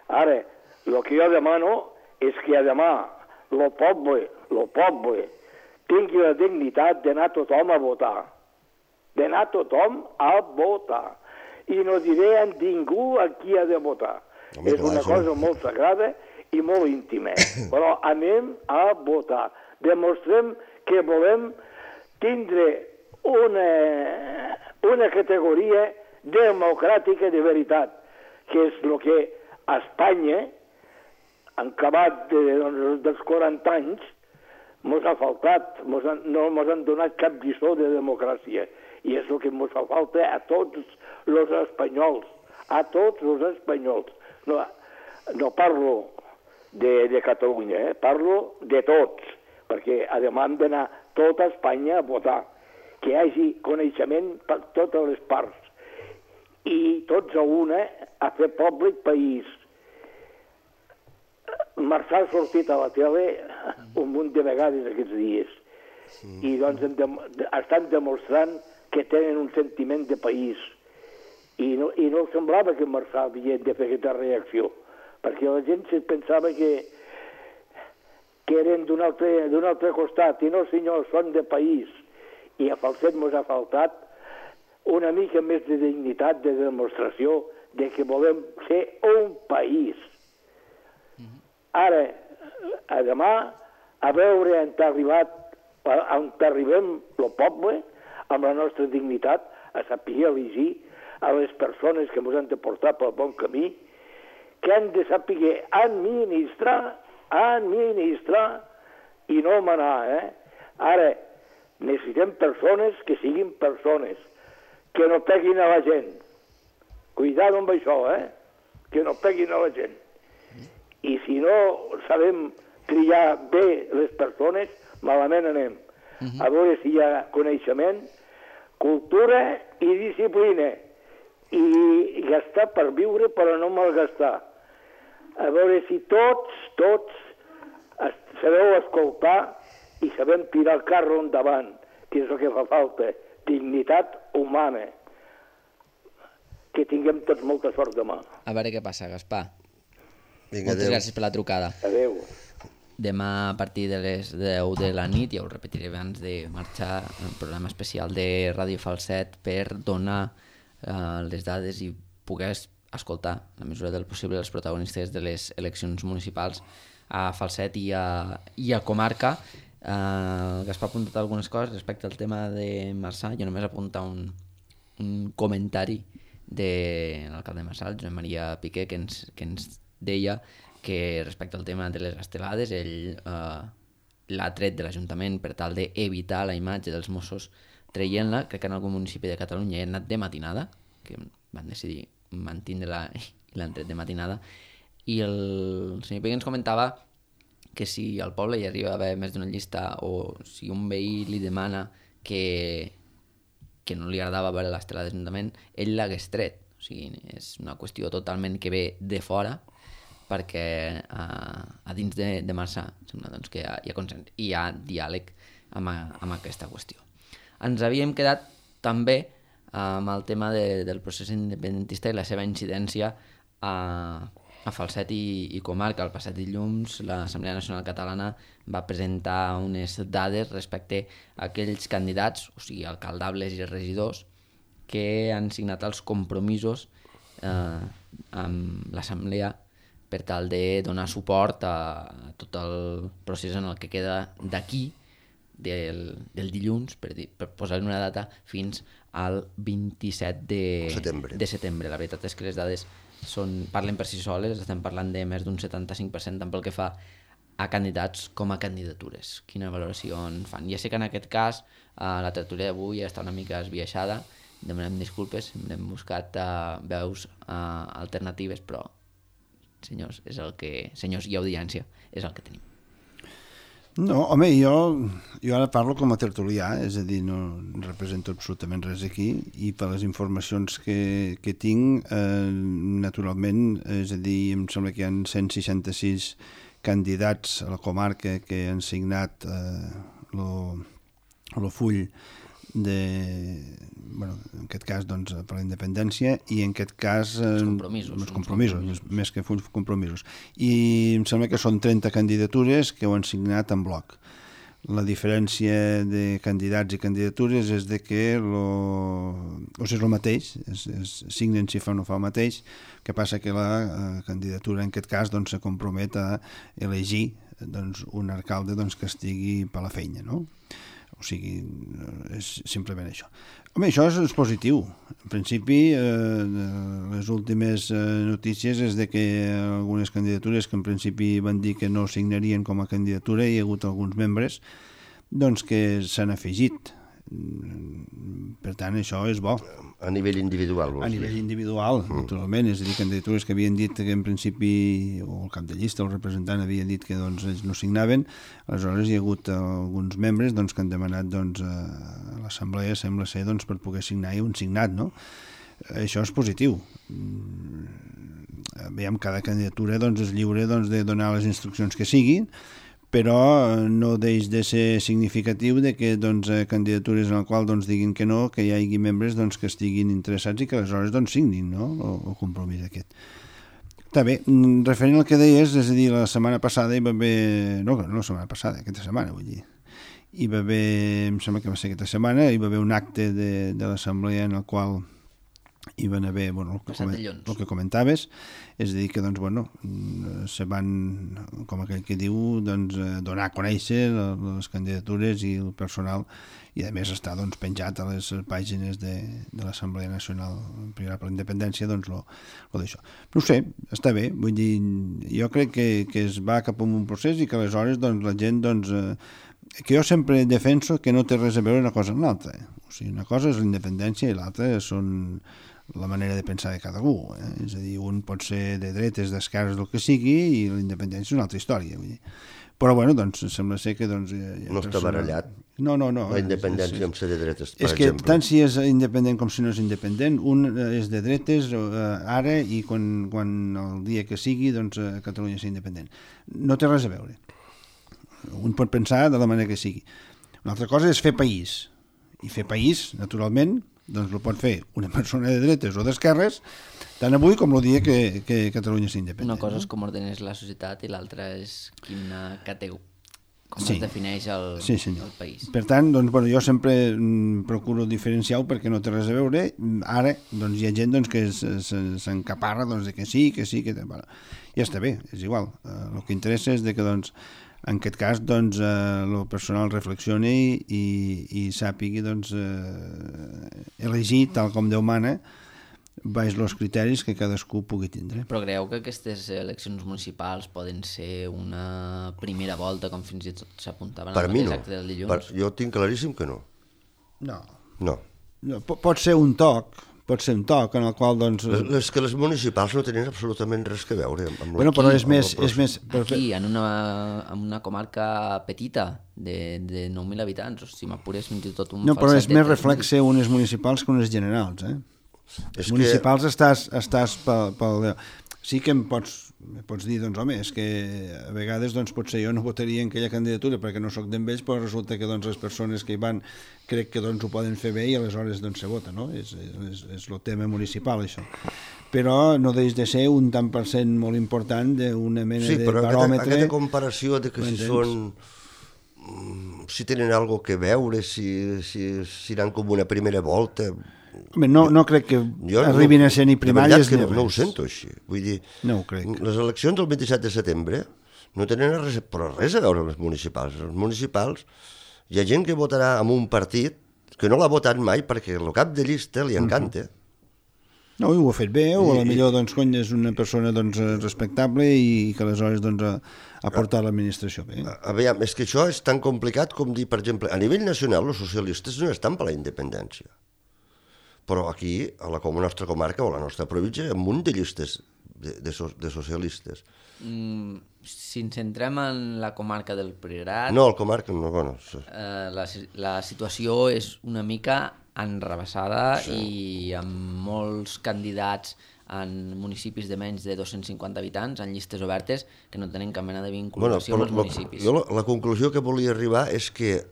Ara, el que jo demano és que demà el poble tingui la dignitat d'anar tothom a votar. D'anar tothom a votar. I no diré a ningú a qui ha de votar. És una cosa molt sagrada i molt íntima. Però anem a votar. Demostrem que volem tindre una categoria democràtica de veritat, que és el que a Espanya, en acabat dels 40 anys, mos ha faltat, no mos han donat cap lliçó de democràcia, i és el que mos fa falta a tots els espanyols, No parlo de Catalunya, parlo de tots, perquè a demà hem d'anar tota Espanya a votar, que hi hagi coneixement per totes les parts, i tots a una a fer poble i país. Marçà ha sortit a la tele un munt de vegades aquests dies i doncs estan demostrant que tenen un sentiment de país i no semblava que Marçà havia de fer aquesta reacció, perquè la gent se pensava que eren d'un altre costat, i no senyor, són de país, i a Falset mos ha faltat una mica més de dignitat, de demostració de que volem ser un país. Ara, a demà, a veure on arribem el poble, amb la nostra dignitat, a saber elegir a les persones que ens han de portar pel bon camí, que han de saber administrar i no manar, Ara, necessitem persones que siguin persones, que no peguin a la gent. Cuidado amb això, que no peguin a la gent. I si no sabem triar bé les persones, malament anem. A veure si hi ha coneixement, cultura i disciplina. I gastar per viure, però no malgastar. A veure si tots sabeu escoltar i sabem tirar el carro endavant, que és el que fa falta, dignitat humana. Que tinguem tots molta sort demà. A veure què passa, Gaspar. Vinga, Moltes adéu. gràcies per la trucada. Adéu. Demà a partir de les 10 de la nit, ja ho repetiré abans de marxar, un programa especial de Ràdio Falset per donar les dades i poder escoltar, a la mesura del possible, els protagonistes de les eleccions municipals a Falset i a comarca. Gaspar ha apuntat algunes coses respecte al tema de Marçà. Jo només apuntar un comentari de l'alcalde de Marçà, el Josep Maria Piqué, que ens deia que respecte al tema de les estelades ell l'ha tret de l'Ajuntament per tal d'evitar la imatge dels Mossos traient-la. Crec que en algun municipi de Catalunya hi ha anat de matinada, que van decidir mantindre-la i l'han tret de matinada. I el senyor Piqué ens comentava que si al poble hi arriba a haver més d'una llista o si un veí li demana que no li agradava veure l'estela d'Ajuntament, ell l'hagués tret. O sigui, és una qüestió totalment que ve de fora, perquè a dins de Marçà sembla doncs, que hi ha consens i hi ha diàleg amb aquesta qüestió. Ens havíem quedat també amb el tema del procés independentista i la seva incidència a Falset i comarca. El passat dilluns l'Assemblea Nacional Catalana va presentar unes dades respecte a aquells candidats, o sigui, alcaldables i regidors, que han signat els compromisos amb l'Assemblea per tal de donar suport a tot el procés en el que queda d'aquí, del dilluns, per posar-li una data, fins al 27 de setembre. La veritat és que les dades parlen per si soles, estem parlant de més d'un 75% tant pel que fa a candidats com a candidatures. Quina valoració en fan? Ja sé que en aquest cas la tertúlia d'avui està una mica esbiaixada, demanem disculpes, hem buscat veus alternatives, però senyors i audiència, és el que tenim. No, home, jo ara parlo com a tertulià, és a dir, no represento absolutament res aquí, i per les informacions que tinc, naturalment, és a dir, em sembla que hi ha 166 candidats a la comarca que han signat el full en aquest cas doncs, per la independència, i en aquest cas els compromisos, més que fulls, compromisos, i em sembla que són 30 candidatures que ho han signat en bloc. La diferència de candidats i candidatures és de que és el mateix, signen si fa o no fa el mateix, que passa que la candidatura en aquest cas doncs, se compromet a elegir doncs, un alcalde doncs, que estigui per la feina, no? O sigui, és simplement això. Home, això és positiu. En principi, les últimes notícies és de que algunes candidatures que en principi van dir que no signarien com a candidatura, hi ha hagut alguns membres doncs, que s'han afegit. Per tant, això és bo. A nivell individual, vols dir? A nivell individual, naturalment. És a dir, candidatures que havien dit que en principi, o el cap de llista o el representant havien dit que doncs, ells no signaven. Aleshores hi ha hagut alguns membres doncs, que han demanat doncs, a l'assemblea, sembla ser, doncs, per poder signar i un signat, no? Això és positiu. Veiem, cada candidatura doncs, és lliure doncs, de donar les instruccions que siguin, però no deix de ser significatiu de que doncs, candidatures en les quals doncs, diguin que no, que hi hagi membres doncs, que estiguin interessats i que aleshores doncs, signin, no? el compromís aquest. Està bé, referent al que deies, és a dir, la setmana passada hi va haver... No la setmana passada, aquesta setmana, vull dir. Hi va haver, em sembla que va ser aquesta setmana, hi va haver un acte de l'assemblea en el qual hi van haver el que comentaves, és a dir que doncs, se van, com aquell que diu, doncs, donar a conèixer les candidatures i el personal, i a més està doncs, penjat a les pàgines de l'Assemblea Nacional per la Independència, doncs lo d'això. No ho sé, està bé, vull dir, jo crec que es va cap a un procés i que aleshores doncs, la gent doncs, que jo sempre defenso que no té res a veure una cosa amb l'altra. O sigui, una cosa és la independència i l'altra són la manera de pensar de cada algú. És a dir, un pot ser de dretes, d'esquerres, del que sigui, i la independència és una altra història. Vull dir. Però, bueno, doncs, sembla ser que... Doncs, no està barallat? No. La independència amb ser de dretes, per exemple. És que tant si és independent com si no és independent, un és de dretes ara i quan el dia que sigui, doncs, Catalunya és independent. No té res a veure. Un pot pensar de la manera que sigui. Una altra cosa és fer país. I fer país, naturalment, doncs el pot fer una persona de dretes o d'esquerres, tant avui com el dia que Catalunya és independent. Una cosa és com ordenes la societat i l'altra és quina com es defineix el país. Per tant, doncs, bueno, jo sempre procuro diferenciar-ho perquè no té res a veure. Ara doncs, hi ha gent doncs, que s'encaparra doncs, de que sí, que... Bueno, ja està bé, és igual. El que interessa és de que doncs, en aquest cas, doncs, el personal reflexioni i sàpigui doncs, elegir, tal com Déu mana, baix els criteris que cadascú pugui tindre. Però creieu que aquestes eleccions municipals poden ser una primera volta, com fins i tot s'apuntaven al mateix acte del dilluns? Jo tinc claríssim que no. No. Pot ser un toc en el qual, doncs... És que les municipals no tenen absolutament res que veure amb bueno, però és més... Aquí, en una comarca petita de 9.000 habitants, o si m'apures fins i tot un... No, però és més reflexe unes municipals que unes generals, Les municipals estàs pel... Sí que em pots dir, doncs, home, és que a vegades, doncs, potser jo no votaria en aquella candidatura perquè no sóc d'en ells, però resulta que, doncs, les persones que hi van crec que, doncs, ho poden fer bé i aleshores, doncs, se vota, no? És el tema municipal, això. Però no deix de ser un tant per cent molt important d'una mena de baròmetre... Sí, però aquesta comparació de que si són... si tenen alguna que veure, si iran com una primera volta... Home, no crec que arribin a ser ni primàries ni res. No ho sento així. Vull dir, no ho crec. Les eleccions del 27 de setembre no tenen res a veure amb les municipals. Les municipals hi ha gent que votarà amb un partit que no l'ha votat mai perquè el cap de llista li encanta. No, i ho ha fet bé, o potser doncs, és una persona doncs, respectable i que aleshores doncs, ha portat l'administració bé. Aviam, és que això és tan complicat com dir, per exemple, a nivell nacional els socialistes no estan per la independència. Però aquí, a la nostra comarca o a la nostra província, hi ha un munt de llistes de socialistes. Si ens centrem en la comarca del Priorat... No, la comarca no, bueno... La situació és una mica enrebaçada i amb molts candidats en municipis de menys de 250 habitants, en llistes obertes, que no tenen cap mena de vinculació amb els municipis. La conclusió que volia arribar és que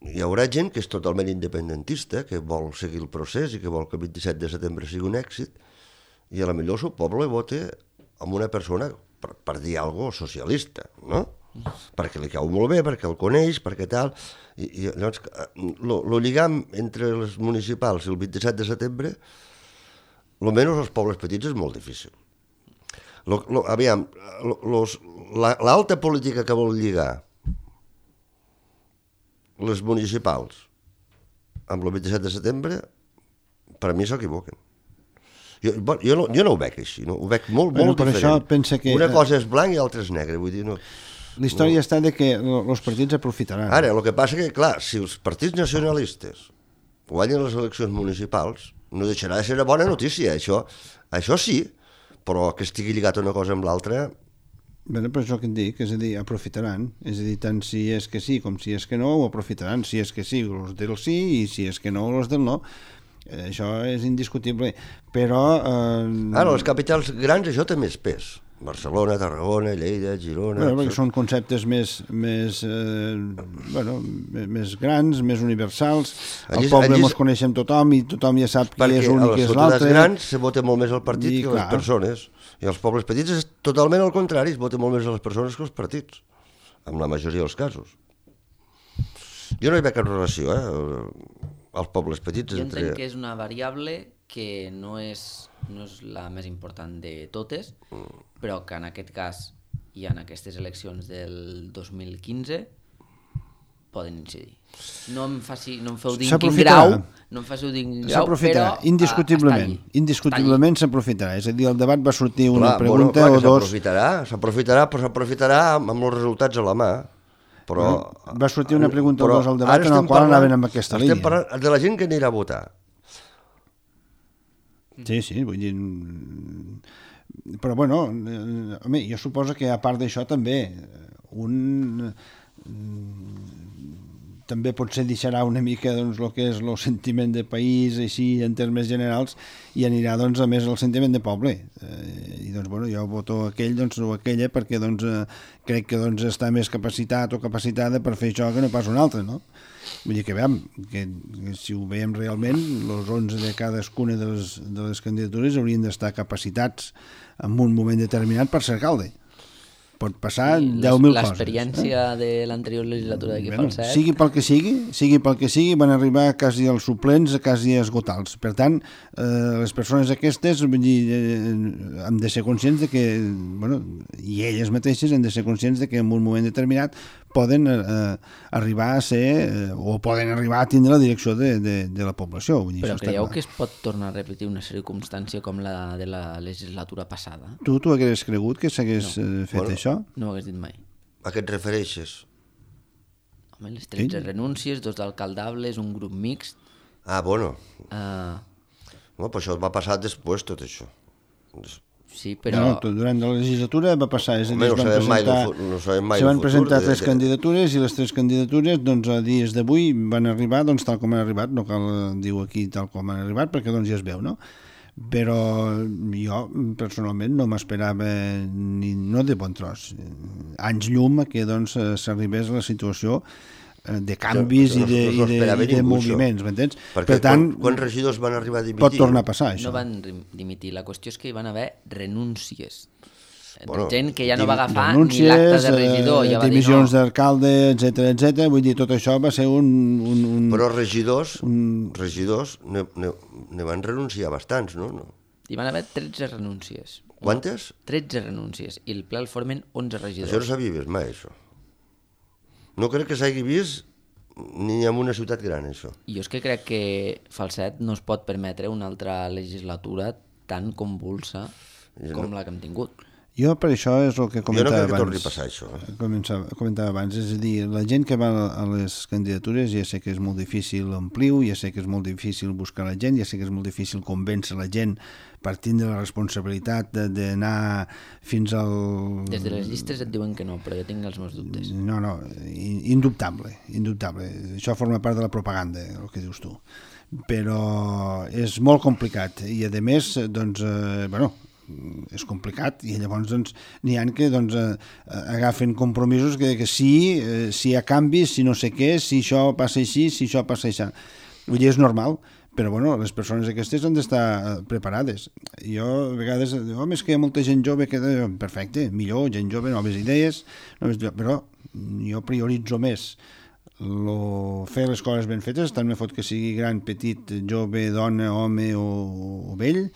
hi haurà gent que és totalment independentista, que vol seguir el procés i que vol que el 27 de setembre sigui un èxit, i a la millor el seu poble vota amb una persona, per dir alguna cosa, socialista, no? Perquè li cau molt bé, perquè el coneix, perquè tal... I llavors, el lligam entre els municipals i el 27 de setembre, almenys als pobles petits, és molt difícil. Aviam, l'alta política que vol lligar les municipals amb el 27 de setembre, per a mi s'equivoquen. Jo no ho veig així, no? Ho veig molt diferent. Una cosa és blanc i l'altra és negre, vull dir... La història està de que els partits aprofitaran. Ara, el que passa que, clar, si els partits nacionalistes guanyen les eleccions municipals, no deixarà de ser una bona notícia, això sí, però que estigui lligat una cosa amb l'altra... Bé, però això que et dic, és a dir, aprofitaran, és a dir, tant si és que sí com si és que no, ho aprofitaran, si és que sí, els del sí, i si és que no, els del no. Això és indiscutible, però... Ara, les capitals grans això té més pes. Barcelona, Tarragona, Lleida, Girona... Bueno, perquè són conceptes més grans, més universals. Al poble ens coneixem tothom i tothom ja sap qui és un i qui és l'altre. Perquè a les ciutats grans se vota molt més el partit que les persones. I als pobles petits és totalment al contrari, es vota molt més a les persones que als partits, en la majoria dels casos. Jo no hi veig cap relació, als pobles petits. Jo entenc que és una variable que no és la més important de totes, però que en aquest cas i en aquestes eleccions del 2015 poden incidir. No em feu dir quin grau, s'aprofitarà, indiscutiblement s'aprofitarà. És a dir, el debat va sortir una pregunta o dos... S'aprofitarà, però s'aprofitarà amb els resultats a la mà. Però, va sortir una pregunta però al debat ara en el estem qual parlant- anaven amb aquesta línia. Estem parlant de la gent que anirà a votar. Sí, vull dir... Però, bueno, home, jo suposo que a part d'això també també potser deixarà una mica doncs, el que és el sentiment de país així en termes generals i anirà doncs, a més el sentiment de poble i doncs bueno, jo voto aquell doncs, o aquella perquè doncs, crec que doncs, està més capacitat o capacitada per fer això que no pas un altre, no? Vull dir que veiem que si ho veiem realment els 11 de cadascuna de les candidatures haurien d'estar capacitats en un moment determinat per ser alcalde. Pot passar 10.000 coses. L'experiència de l'anterior legislatura d'aquí Bueno, Falset... sigui pel que sigui, van arribar quasi als suplents, quasi a esgotar-los. Per tant, les persones aquestes vull dir, hem de ser conscients de que, bueno, i elles mateixes hem de ser conscients de que en un moment determinat poden arribar a ser o poden arribar a tindre la direcció de la població. Vull dir, Però això creieu està clar. que es pot tornar a repetir una circumstància com la de la legislatura passada? Tu hagués cregut que s'hagués fet això? No ho hagués dit mai. A què et refereixes? Home, les 13 renúncies, 2 d'alcaldables, un grup mixt... Bueno. Uh, Però això va passar després, tot això. sí, però... No, durant la legislatura va passar, és a dir, Home, no sabem mai se van del futur, presentar 3 candidatures i les 3 candidatures, doncs, a dies d'avui van arribar doncs, tal com han arribat, no cal dir aquí tal com han arribat, perquè doncs, ja es veu, no? Però jo, personalment, no m'esperava no de bon tros, anys llum que doncs, s'arribés a la situació de canvis i de moviments, m'entens? Perquè per tant, quants regidors van arribar a dimitir? pot tornar a passar, això. No van dimitir, la qüestió és que hi van haver renúncies. Bueno, Gent que ja no va agafar ni renúncies, l'acte de regidor, ja va dir dimissions no. d'alcalde, etc. Vull dir, tot això va ser un Però regidors ne van renunciar bastants, no? Hi van haver 13 renúncies. Quantes? 13 renúncies, i el ple el formen 11 regidors. Això no s'havia vist mai, això. No crec que s'hagi vist ni en una ciutat gran, això. I jo és que crec que Falset no es pot permetre una altra legislatura tan convulsa com la que hem tingut. Jo per això és el que comentava Jo no crec que torni abans. a passar això. Comentava abans, és a dir, la gent que va a les candidatures ja sé que és molt difícil omplir-ho, ja sé que és molt difícil buscar la gent, ja sé que és molt difícil convèncer la gent per tindre la responsabilitat d'anar fins al... Des de les llistes et diuen que no, però jo tinc els meus dubtes. No, indubtable. Això forma part de la propaganda, el que dius tu. Però és molt complicat i a més, doncs, és complicat i llavors doncs, n'hi ha que doncs, agafen compromisos que sí, si hi ha canvis, si no sé què, si això passa així, si això passa així. Vull dir, és normal, però bueno, les persones aquestes han d'estar preparades. Jo a vegades dic, home, és que hi ha molta gent jove que... Perfecte, millor, gent jove, noves idees, però jo prioritzo més fer les coses ben fetes, tant me fot que sigui gran, petit, jove, dona, home o vell,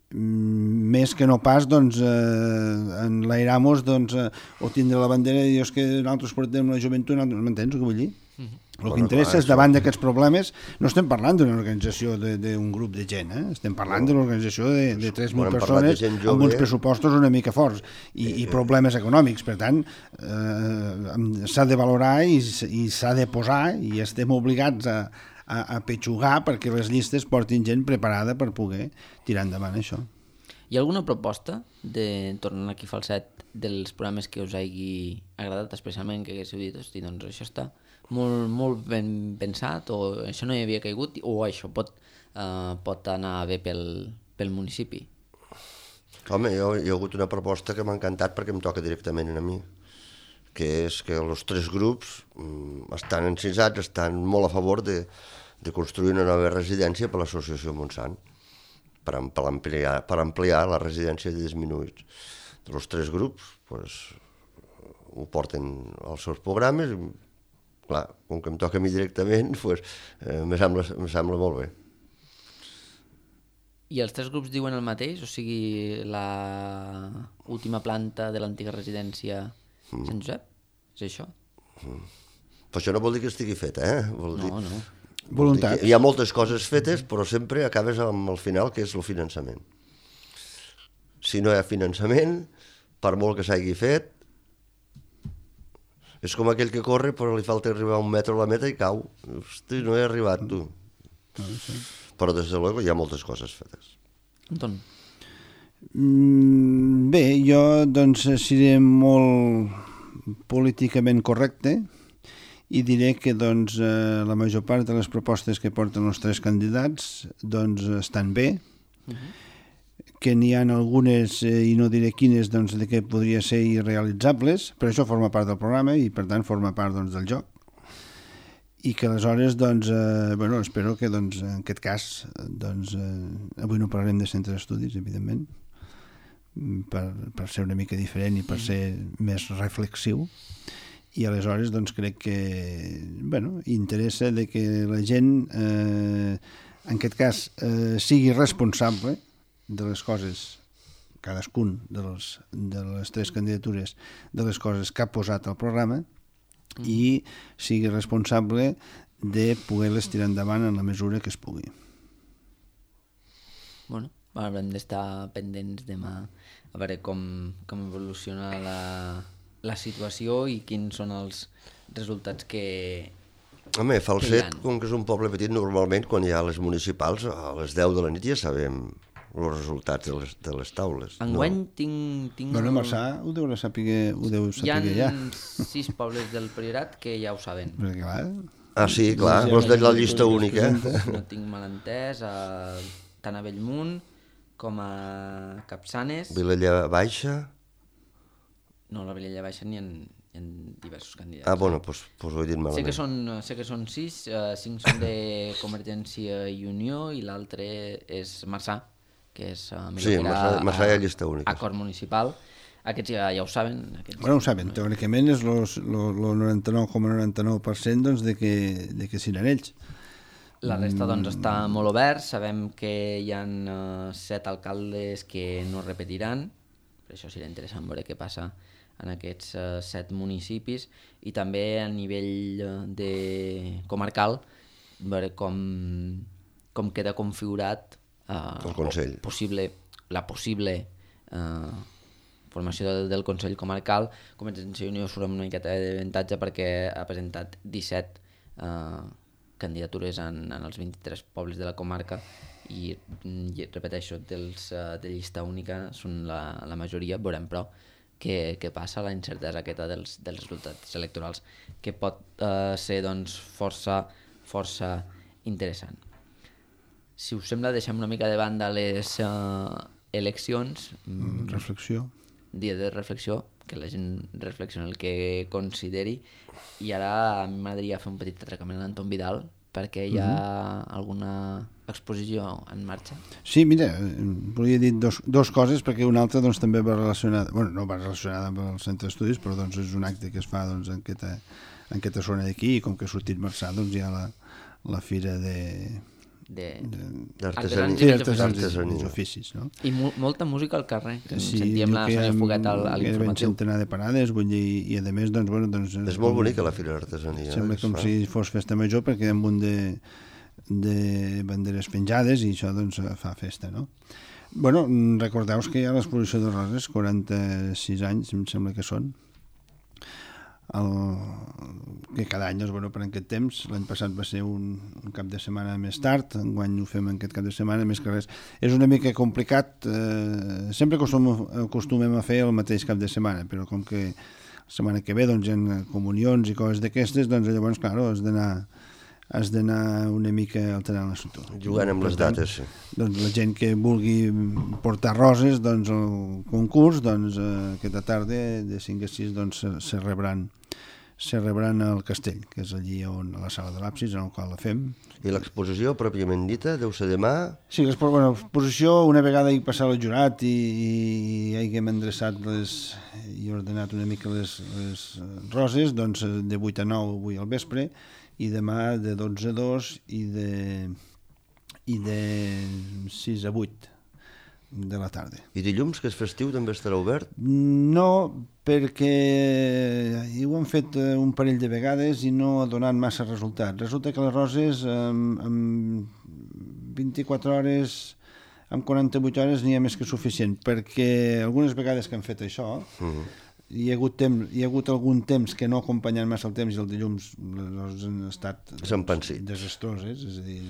més que no pas doncs, enlairamos doncs, o tindre la bandera i dir que nosaltres portem la joventut, m'entens el que vull dir? El que interessa és davant d'aquests problemes, no estem parlant d'una organització d'un grup de gent, estem parlant de l'organització de 3.000 persones amb uns pressupostos una mica forts i problemes econòmics, per tant s'ha de valorar i s'ha de posar i estem obligats a petxugar perquè les llistes portin gent preparada per poder tirar endavant això. Hi ha alguna proposta, tornant aquí a Falset, dels programes que us hagi agradat especialment, que haguéssiu dit, hosti, doncs això està molt ben pensat, o això no hi havia caigut, o això pot anar bé pel municipi? Home, hi ha hagut una proposta que m'ha encantat perquè em toca directament a mi, que és que els 3 grups estan encisats, estan molt a favor de construir una nova residència per l'associació Montsant, per ampliar la residència de disminuïts. Els 3 grups ho porten als seus programes i, clar, com que em toca a mi directament, me sembla molt bé. I els 3 grups diuen el mateix? O sigui, la última planta de l'antiga residència Sant Josep? És això? Però això no vol dir que estigui fet, Vol dir... No. Voluntat. Hi ha moltes coses fetes, però sempre acabes amb el final, que és el finançament. Si no hi ha finançament, per molt que s'hagi fet, És com aquell que corre però li falta arribar a 1 metre a la meta i cau. Hosti, no he arribat, tu. Però des de luego hi ha moltes coses fetes. Anton. Bé, jo doncs seré molt políticament correcte i diré que doncs, la major part de les propostes que porten els 3 candidats doncs, estan bé, que n'hi ha algunes, i no diré quines, doncs, de que podria ser irrealitzables, però això forma part del programa i per tant forma part doncs, del joc. I que aleshores, doncs, bueno, espero que doncs, en aquest cas, doncs, avui no parlarem de centre d'estudis, evidentment, per ser una mica diferent i per ser més reflexiu, i aleshores doncs, crec que bueno, interessa de que la gent, en aquest cas, sigui responsable de les coses, cadascun de les 3 candidatures, de les coses que ha posat al programa, i sigui responsable de poder-les tirar endavant en la mesura que es pugui. Bueno, haurem d'estar pendents demà a veure com evoluciona la situació i quins són els resultats que Home, Falset, han. com que és un poble petit, normalment quan hi ha les municipals, a les 10 de la nit ja sabem els resultats de les taules. Enguany tinc... Bueno, Marçà ho deu saber Hi ha ja. 6 pobles del Priorat que ja ho saben. Perquè, clar, Ah, sí, clar, els de la llista única. Si no tinc mal entès, tant a Bellmunt com a Capçanes... Vilella Baixa... No, a la Vilella Baixa n'hi ha diversos candidats. Ah, bueno, doncs ho he dit malament. Sé que són 6, 5 són de Convergència i Unió i l'altre és Marçà, que és Sí, Marçà hi ha llista única. acord municipal. Aquests ja ho saben. Bueno, ho saben, teòricament és el 99,99% doncs, de que seran ells. La resta doncs està molt obert, sabem que hi ha 7 alcaldes que no repetiran, per això serà interessant veure què passa en aquests 7 municipis, i també a nivell comarcal veure com queda configurat el Consell. la possible formació del Consell Comarcal. Convergència i Unió surt amb una miqueta d'avantatge perquè ha presentat 17 candidatures en els 23 pobles de la comarca i repeteixo, de llista única són la majoria. Veurem però què passa, la incertesa aquesta dels resultats electorals, que pot ser doncs, força interessant. Si us sembla, deixem una mica de banda les eleccions. Reflexió. Dia de reflexió, que la gent reflexioni el que consideri, i ara a mi m'agradaria fer un petit atracament a l'Anton Vidal, perquè hi ha alguna exposició en marxa. Sí, mira, volia dir dos coses, perquè una altra doncs, també va relacionada, bueno, no va relacionada amb el centre d'estudis, però doncs, és un acte que es fa doncs, en aquesta zona d'aquí, i com que ha sortit Marçà, doncs hi ha la fira d'artesans oficis, no? I molta música al carrer, sentíem la Sònia Foguet a l'informatiu. Un centenar de parades, vull dir, i a més, doncs, bueno, doncs... És molt bonica la fira d'artesania. Sembla com si fos festa major, perquè hi ha un munt de banderes penjades i això, doncs, fa festa, no? Bueno, recordeu que hi ha l'exposició de Roses, 46 anys, em sembla que són, que cada any, doncs, bueno, per aquest temps, l'any passat va ser un cap de setmana més tard, enguany ho fem aquest cap de setmana, més que res. És una mica complicat, sempre acostumem a fer el mateix cap de setmana, però com que la setmana que ve doncs, hi ha comunions i coses d'aquestes, doncs llavors, clar, has d'anar una mica alterant l'assumpte. Jugant amb les dates, sí. Doncs la gent que vulgui portar roses, doncs el concurs, doncs aquesta tarda de 5 a 6 doncs, se rebran al castell, que és allí on, a la sala de l'Absis, en el qual la fem. I l'exposició, pròpiament dita, deu ser demà? Sí, l'exposició, una vegada hi passat el jurat i haguem endreçat i ordenat una mica les roses, doncs de 8 a 9 avui al vespre, i demà de 12 a 2 i de 6 a 8 de la tarda. I dilluns, que és festiu, també estarà obert? No, perquè ho hem fet un parell de vegades i no ha donat massa resultat. Resulta que les roses en 24 hores, en 48 hores n'hi ha més que suficient, perquè algunes vegades que hem fet això, hi ha hagut algun temps que no acompanyen massa el temps i el dilluns les han estat desastroses, és a dir,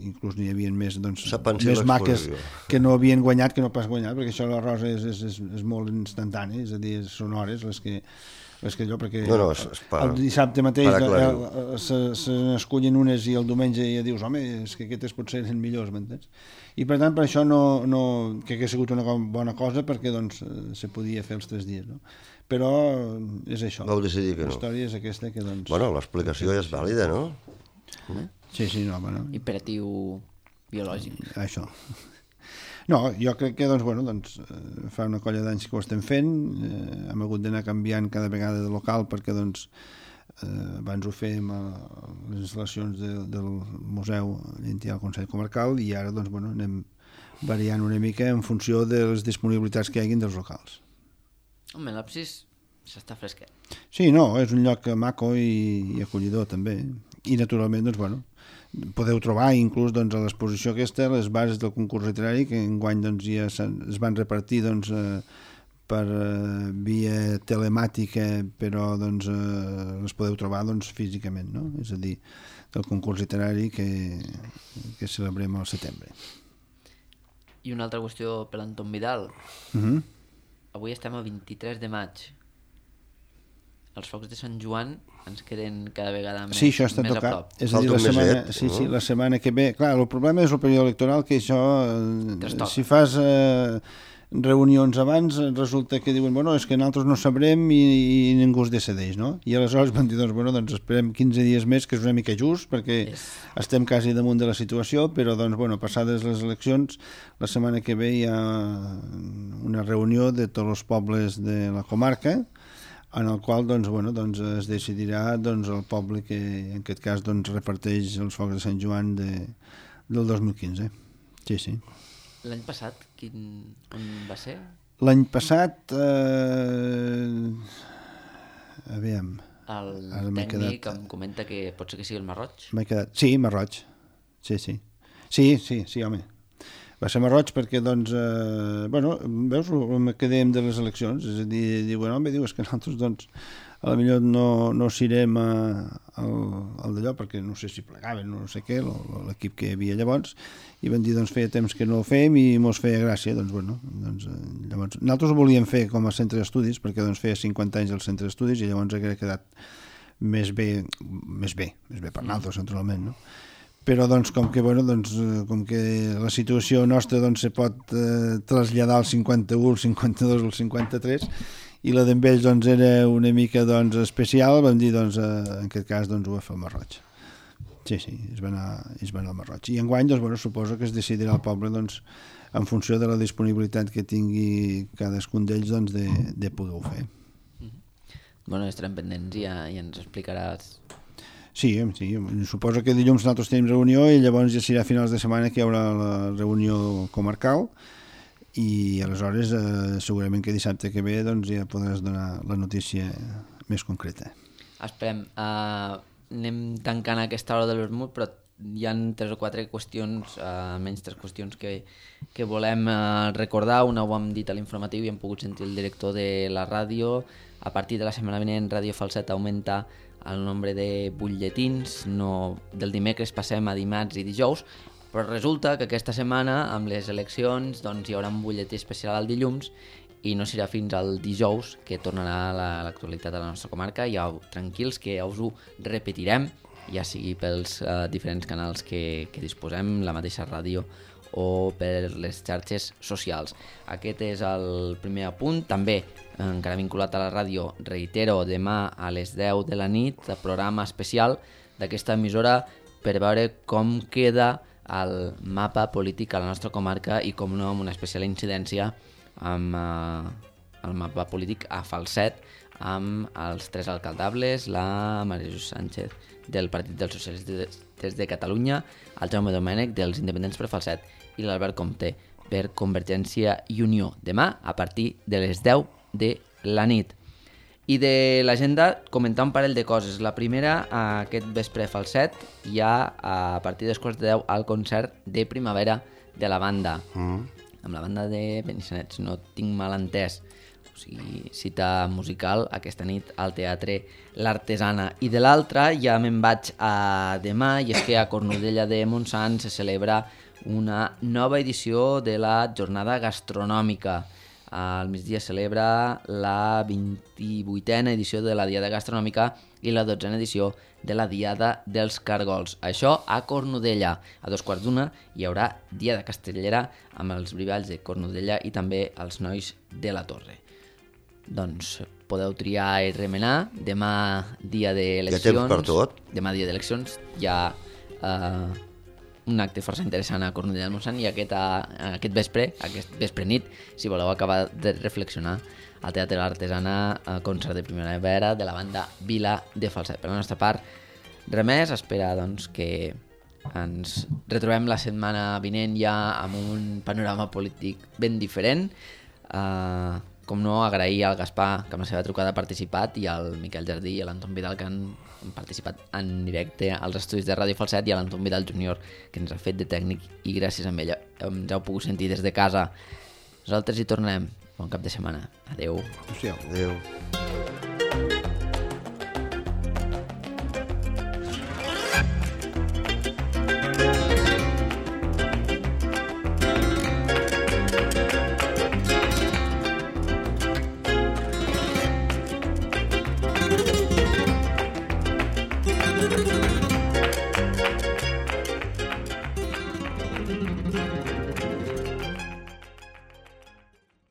inclús n'hi havia més, doncs, més maques que no havien guanyat que no pas guanyat, perquè això l'arròs és molt instantani, és a dir, són hores les que allò, perquè el dissabte mateix se n'escullen unes i el diumenge ja dius, home, és que aquestes potser eren millors, m'entens? I per tant, per això que hagués sigut una bona cosa, perquè doncs se podia fer els 3 dies, no? Però és això. Vau decidir que no. La història és aquesta que doncs... Bueno, l'explicació és vàlida, no? Sí, no, bueno. Imperatiu biològic. Això. No, jo crec que doncs, fa una colla d'anys que ho estem fent, hem hagut d'anar canviant cada vegada de local perquè doncs, abans ho fèiem a les instal·lacions del museu allà al Consell Comarcal i ara doncs, anem variant una mica en funció de les disponibilitats que hi hagin dels locals. Home, l'absis s'està fresquet. Sí, no, és un lloc maco i acollidor també, i naturalment doncs, podeu trobar inclús doncs, a l'exposició aquesta les bases del concurs literari que enguany doncs, ja es van repartir doncs, per via telemàtica, però doncs, les podeu trobar doncs, físicament, no? És a dir, del concurs literari que celebrem al setembre. I una altra qüestió per l'Anton Vidal. Avui estem a 23 de maig. Els focs de Sant Joan ens queden cada vegada més, sí, això està més tocat. a prop. És a dir, la setmana que ve... Clar, el problema és el període electoral, que això, si fas reunions abans, resulta que diuen, és que nosaltres no sabrem i ningú es decideix, no? I aleshores van dir, doncs esperem 15 dies més, que és una mica just, perquè estem quasi damunt de la situació, però, passades les eleccions, la setmana que ve hi ha una reunió de tots els pobles de la comarca, en el qual es decidirà el poble que en aquest cas reparteix els focs de Sant Joan del 2015. Sí. L'any passat, on va ser? L'any passat, aviam... El tècnic em comenta que pot ser que sigui el Marroig. Sí, Marroig. Sí, home. Va ser Marroig perquè, veus, me quedem de les eleccions, és a dir, és que nosaltres, a la millor no s'irem al d'allò, perquè no sé si plegaven, no sé què, l'equip que hi havia llavors, i van dir, feia temps que no ho fèiem i mos feia gràcia, llavors, nosaltres ho volíem fer com a centre d'estudis, perquè feia 50 anys al centre d'estudis i llavors hauria quedat més bé per nosaltres, naturalment, no? Però com que la situació nostra se pot traslladar al 51, al 52 o al 53 i la d'ells era una mica especial, vam dir en aquest cas ho va fer el Marroig. Sí, es va anar al Marroig. I enguany suposo que es decidirà el poble en funció de la disponibilitat que tingui cadascun d'ells de poder-ho fer. Estarem pendents i ja ens explicaràs. Sí, suposo que dilluns nosaltres tenim reunió i llavors ja serà a finals de setmana que hi haurà la reunió comarcal i aleshores segurament que dissabte que ve ja podràs donar la notícia més concreta. Esperem. Anem tancant aquesta hora de l'Vermut, però hi ha 3 o 4 qüestions, almenys 3 qüestions que volem recordar. Una ho hem dit a l'informatiu i hem pogut sentir el director de la ràdio. A partir de la setmana vinent Ràdio Falset augmenta el nombre de butlletins, del dimecres passem a dimarts i dijous, però resulta que aquesta setmana amb les eleccions hi haurà un butlletí especial al dilluns i no serà fins al dijous que tornarà l'actualitat a la nostra comarca. Ja tranquils que ja us ho repetirem, ja sigui pels diferents canals que disposem, la mateixa ràdio o per les xarxes socials. Aquest és el primer apunt. També, encara vinculat a la ràdio, reitero, demà a les 10 de la nit, el programa especial d'aquesta emissora per veure com queda el mapa polític a la nostra comarca i, com no, amb una especial incidència amb el mapa polític a Falset, amb els 3 alcaldables, la Maria Jesús Sánchez del Partit dels Socialistes de Catalunya, el Jaume Domènech dels Independents per Falset i l'Albert Comte per Convergència i Unió. Demà a partir de les 10 de la nit. I de l'agenda comentar un parell de coses. La primera, aquest vespre a Falset hi ha a partir dels quarts de 10 el concert de primavera de la banda, amb la banda de Benissanet, si no tinc mal entès. o sigui, cita musical aquesta nit al Teatre L'Artesana. I de l'altra ja me'n vaig a demà, i és que a Cornudella de Montsant se celebra una nova edició de la jornada gastronòmica. Al migdia celebra la 28a edició de la Diada Gastronòmica i la 12a edició de la Diada dels Cargols. Això a Cornudella. A 2:15 hi haurà Diada Castellera amb els brivalls de Cornudella i també els nois de la Torre. Doncs podeu triar i remenar. Demà dia d'eleccions. Hi ha temps per tot. Demà dia d'eleccions hi ha un acte força interessant a Cornudella del Montsant, i aquest vespre nit, si voleu acabar de reflexionar, al Teatre de l'Artesana, concert de primavera de la banda Vila de Falset. Per la nostra part, res més, espera doncs, que ens retrobem la setmana vinent ja amb un panorama polític ben diferent. Com no, agrair al Gaspar, que amb la seva trucada ha participat, i al Miquel Jardí i a l'Anton Vidal, que han participat en directe als estudis de Ràdio Falset, i a l'Anton Vidal Júnior, que ens ha fet de tècnic, i gràcies a ell ens heu pogut sentir des de casa. Nosaltres hi tornem. Bon cap de setmana. Adeu. Adeu.